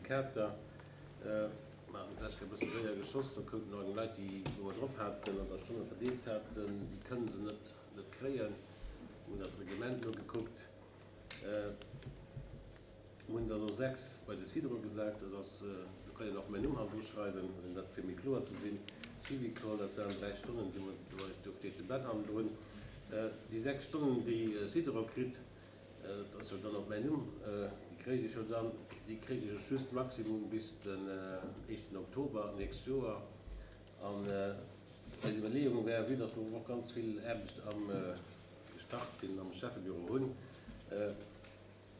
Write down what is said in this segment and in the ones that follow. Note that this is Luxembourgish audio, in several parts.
Syndikater. Mer haten d'lescht Kéier e bësse séier geschoss, do koumen nach eng Leit, déi wou mer drop haten an da Stonne verdeelt haten, déi kënnen se net net kréien. Mir hunn dat Reglement nogekuckt. Mir hunn der elo 6 bei de Sidero gesat, dat ass, do kann een och mäin Numm hannendru schreiwen, fir dat fir méi kloer ze sinn, Syvicol, dat waren 3 Stonnen, déi mer, do steet de Ben hannendrun. Déi 6 Stonnen, déi Sidero kritt, dat ass jo dann och mäin Numm, déi kréich ech jo dann, déi kréich ech just maximum bis den éischten Oktober d'nächst Joer. An eis Iwwerleeung wär, vue dass mer och ganz vill Aarbecht am gestart sinn, am Schäffebüro hunn,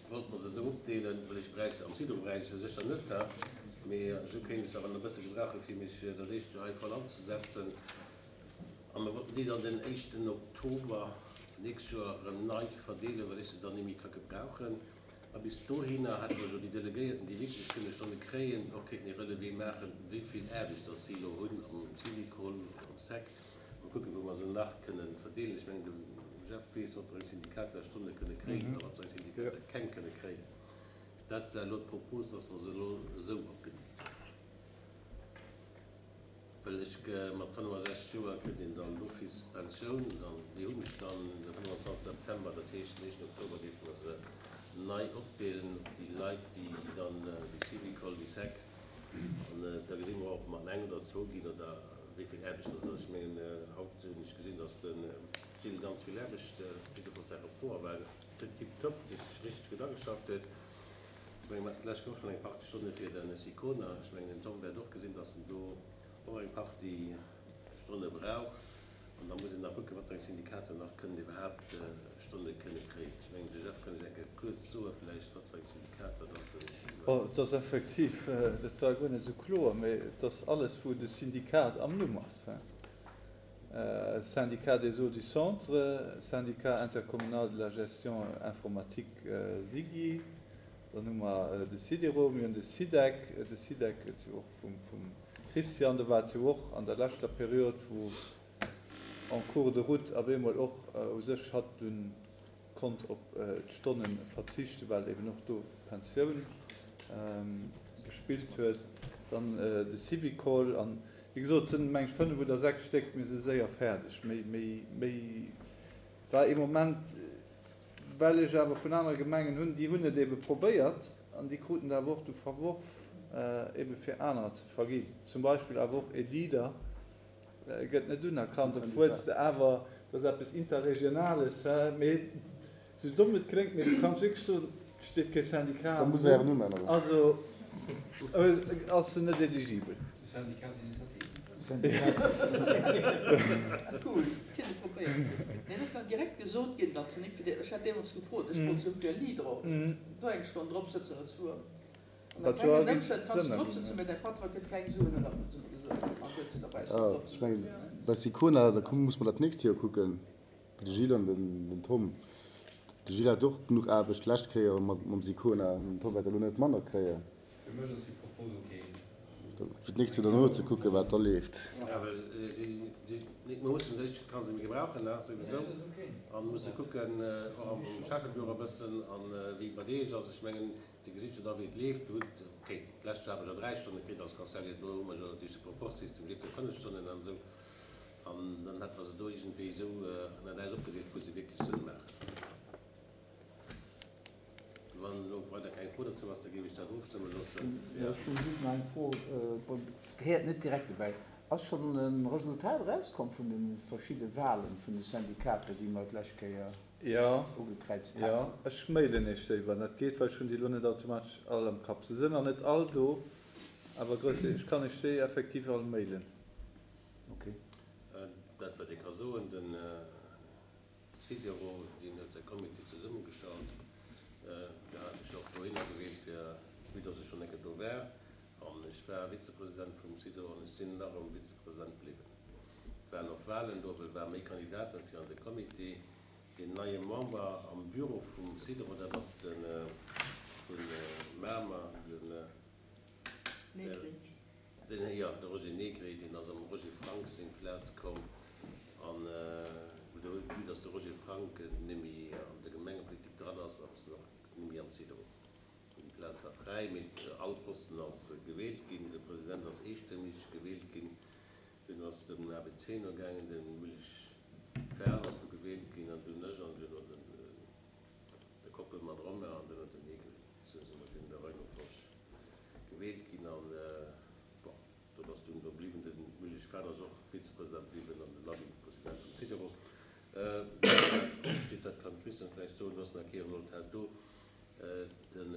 wollte mer se esou opdeelen, well ech bräicht se, am Sidro bräicht ech se sécher net, mee esou kéint ech se awer nach e bësse gebrauchen, fir mech dat éischt Joer hei voll anzesetzen. A mer wollten déi dann den éischten Oktober d'nächst Joer erëm nei verdeelen, well ech se dann ni méi ka gebrauchen. A bis dohinner hätte mer jo déi Delegéierten, déi wierklech kënne Stonne kréien, och kéinten ee Relevé maachen, wéi vill Aarbecht dass si elo hunn am Syvicol oder am sec. Mol kucken, wou mer se nach kënnen verdeelen. Ech mengen, de Jeff weess, wat fir eng Syndikater Stonne kënne kréien a wat fir eng Syndikater keng kënne kréien. Dat war elo d'Propos, dass mer se elo esou opgedeelt hunn. Well ech, mat 65 Joer kritt een dann d'office d'Pensioun an déi hunn ech dann de 25 September. Dat heescht, den éischten Oktober géife mer se nei opdeelen op déi Leit, déi dann déi Syvicol, déi sec. An da gesi mer och, ob mer an eng oder zwou ginn oder wéi vill Aarbecht dass ass. Ech mengen, haut hunn ech gesinn, dass de Gilles ganz vill Aarbecht, jiddefalls säi Rapport war tiptop, sech richteg gutt ageschafft huet. Ech mengen, mer haten d'lescht Woch schonn eng Partie Stonne fir de Sicona. Ech mengen, den Tom wäert och gesinn, dass en do och eng Partie Stonne brauch. An da muss een nach kucken, wat fir eng Syndikater nach kënnen iwwerhaapt Stonne kënne kréien. Ech mengen, de Jeff kann lech eng Kéier kuerz soe vläicht, wat fir eng Syndikater dass se. Bon, et ass effektiv, dat war guer net esou kloer, mä et ass alles, wou de Syndikat am Numm ass, Syndicat des eaux du Centre, Syndicat intercommunal de la gestion informatique SIGI, dann hu mer de SIDERO, mir hunn de SIDEC, de SIDEC gëtt jo och vum Christian, do war et jo och an der leschter Period, wou en cours de route op eemol och u sech hatt dunn konnt op d'Stonne verzichten, well eben och do d'Pensioun gespillt huet. Dann de Syvicol an, wéi gesot, et sinn, meng ech, fënnef oder sechs Stéck, mir si séier fäerdeg. Méi, méi, méi war ee Moment, well ech awer vun anere Gemengen hunn, déi hunn et ebe probéiert an déi kruten et awer och du verworf, ebe fir anerer ze verginn. Zum Beispill awer och e Leader, Gëtt net unerkannt, obwuel s de awer, dat ass eppes Interregionales, hä, mee sou domm et kléngt, mee du kanns wierklech soen, et steet kee Syndicat Da muss en ären Numm änneren. Also ass en net eligibel. De Syndicat d'initiative. Cool, keen et probéiert. Nee, dat war direkt gesot ginn, datt se nik fir déi, ech hat deemools gefrot, ech wollt sou fir Leader och do eng Stonn drop sëtzen oder zwou. Ech mengen, bei Sicona, da muss mer dat d'nächst Joer kucken, de Gilles an den Tom. De Gilles hat och genuch Aarbecht d'lescht Kéier mam Sicona, den Tom wäert elo net manner kréien. Fir mech ass déi Propos ok. Fir d'nächst Joer dann och ze kucken, wat da leeft. Mir mussen se, ech ka se méi gebrauchen, souwisou, a musse kucken och am Schäffebüro e bëssen, a wéi et bei deeg ass. Ech mengen, Dir gesitt jo da wéi et leeft. Dir hutt, ok, d'lescht Joer hat mer jo 3 Stonne kritt als Conseiller, elo hu mer jo duerch de Proporzsystem jiddwer 5 Stonnen an esou. An dann hätte mer se do iergendwéi esou ënnert äis opgedeelt, wou se wierklech Sënn maachen. Wann elo weider keng Fro dozou ass, da géif ech dat ofstëmme loossen. Jo, ech hunn just nach eng Fro, bon, gehéiert net direkt dobäi. Ass schonn e Resultat erauskomm vun de verschidde Wahlen vun de Syndikater, déi mer d'lescht Kéier. Jo, ugekräizt jo, haten. ech mailen iech déi, wann dat geet, well ech hunn déi elo net automatesch all am Kapp. Se sinn nach net all do, awer grouss, ech kann iech déi effektiv all mailen. Ok. Dat wat ee ka soen, den Sidero, deen huet säi Comité zesummegestallt. Do hat ech och dohinner gewielt, fir, vue dass ech schonn eng Kéier do war. An ech war Vizepresident vum Sidero an ech sinn nach ëmmer Vizepresident bliwwen. Et waren och Wahlen do, well et ware méi Kandidaten fir an de Comité. Deen neie Member am Büro vum Sidero, dat ass de vu Mamer, den, Negri. Den, jo, de Roger Negri, deen ass am Roger Frank seng Plaz komm. An vue dass de Roger Frank net méi an der Gemengepolitik dran ass, ass en och net méi am Sidero. Plaz war fräi, mee all Posten ass gewielt ginn. De President ass eestëmmeg gewielt ginn. Dunn ass den ABC no gaangen, de Müllich Ferl ass du gewielt ginn an dunn ech an duerno den de Koppelmann Romain an duerno den Egli. Sou si mer dunn an der Rei no Folg gewielt ginn an bon, dat ass dunn do bliwwen. De Müllich Ferl ass och Vizepresident bliwwen an de Labi President vum Sidero. Wat opsteet, dat kann d'Christiane vläicht soen, do ass nach kee Resultat do. Den,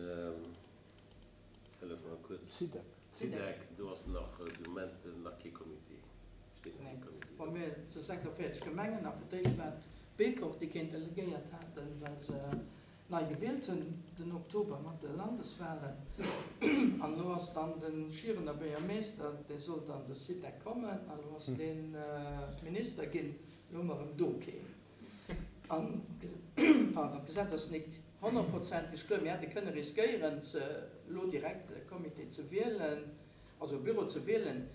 hëllef mer kuerz. Sidec. Sidec, do ass nach de Moment nach kee Comité, steet nach kee Comité do. Bon, mir si 46 Gemengen a fir d'éischt war et Beefort, déi keen delegéiert haten, well se nei gewielt hunn den Oktober mat de Landeswahlen. An elo ass dann de Schierener Buergermeester, dee sollt an de Sidec kommen, a elo ass dee Minister ginn, elo hu mer erëm do keen. An, pardon, d'Gesetz ass nik honnertprozenteg kloer. Mir hätte kënne riskéieren, ze elo direkt e Comité ze wielen, also e Büro ze wielen.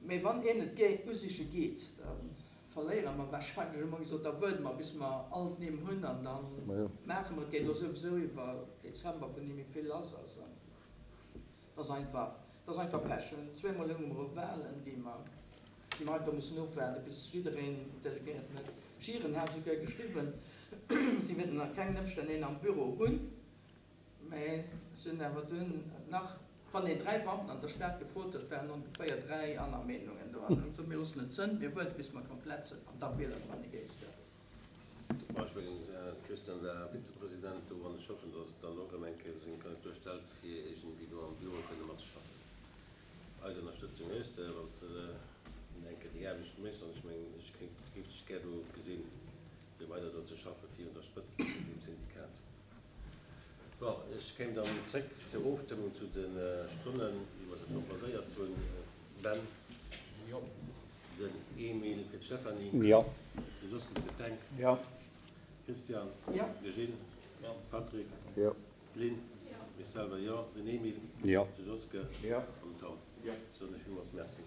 Mee wann een et géing usiche geet, da verléiere mer wahrscheinlech. Hu mer gesot, da wuarde mer, bis mer all d'Nimm hunn an da maache mer et. Geet elo souwisou iwwer Dezember, wou ni méi vill lass ass. An et ass einfach, et ass einfach Pech. Zweemol hu mer Wahlen, déi mer. Déi mer einfach mussen ofwaarden, bis jiddereen Delegéierten huet. Schieren hat esouguer geschriwwen, si wéilten a kengen Ëmstänn een am Büro hunn, mä se hunn awer dunn nach, wann een 3 Beamten an der Stad gefrot huet, waren ongeféier 3 aner Meenungen do. An hunn gesot, mir loossen et sënn, mir wuarden, bis mer komplett sënn, an da wiele mer en Géigner. Bon, ech mengen, de Christian war Vizepresident do, an ech hoffen, datt et dann och erëm eng Kéier seng Kandidatur stellt, fir iergendwéi do am Büro kënne matzeschaffen. Eis Ënnerstëtzung hues de, wann s de eng Kéier déi Aarbecht méchs. An ech mengen, ech kéint, géif dech gär do gesinn, fir weider do ze schaffen, fir un der Spëtzt vun deem Syndikat. Bon, ech kéim dann zréck zur Ofstëmmung zu de Stonnen, wéi mer se proposéiert hunn. Ben? Jo. Den Emile fir d'Stéphanie? Jo. De Josquin fir de Fränk? Jo. Christian? Jo. De Gilles? Jo. Patrick? Jo. D'Lynn? Jo. Mech selwer, jo. Den Emile? Jo. De Joske? Jo. An den Tom? Jo. Soen ech villmools Merci.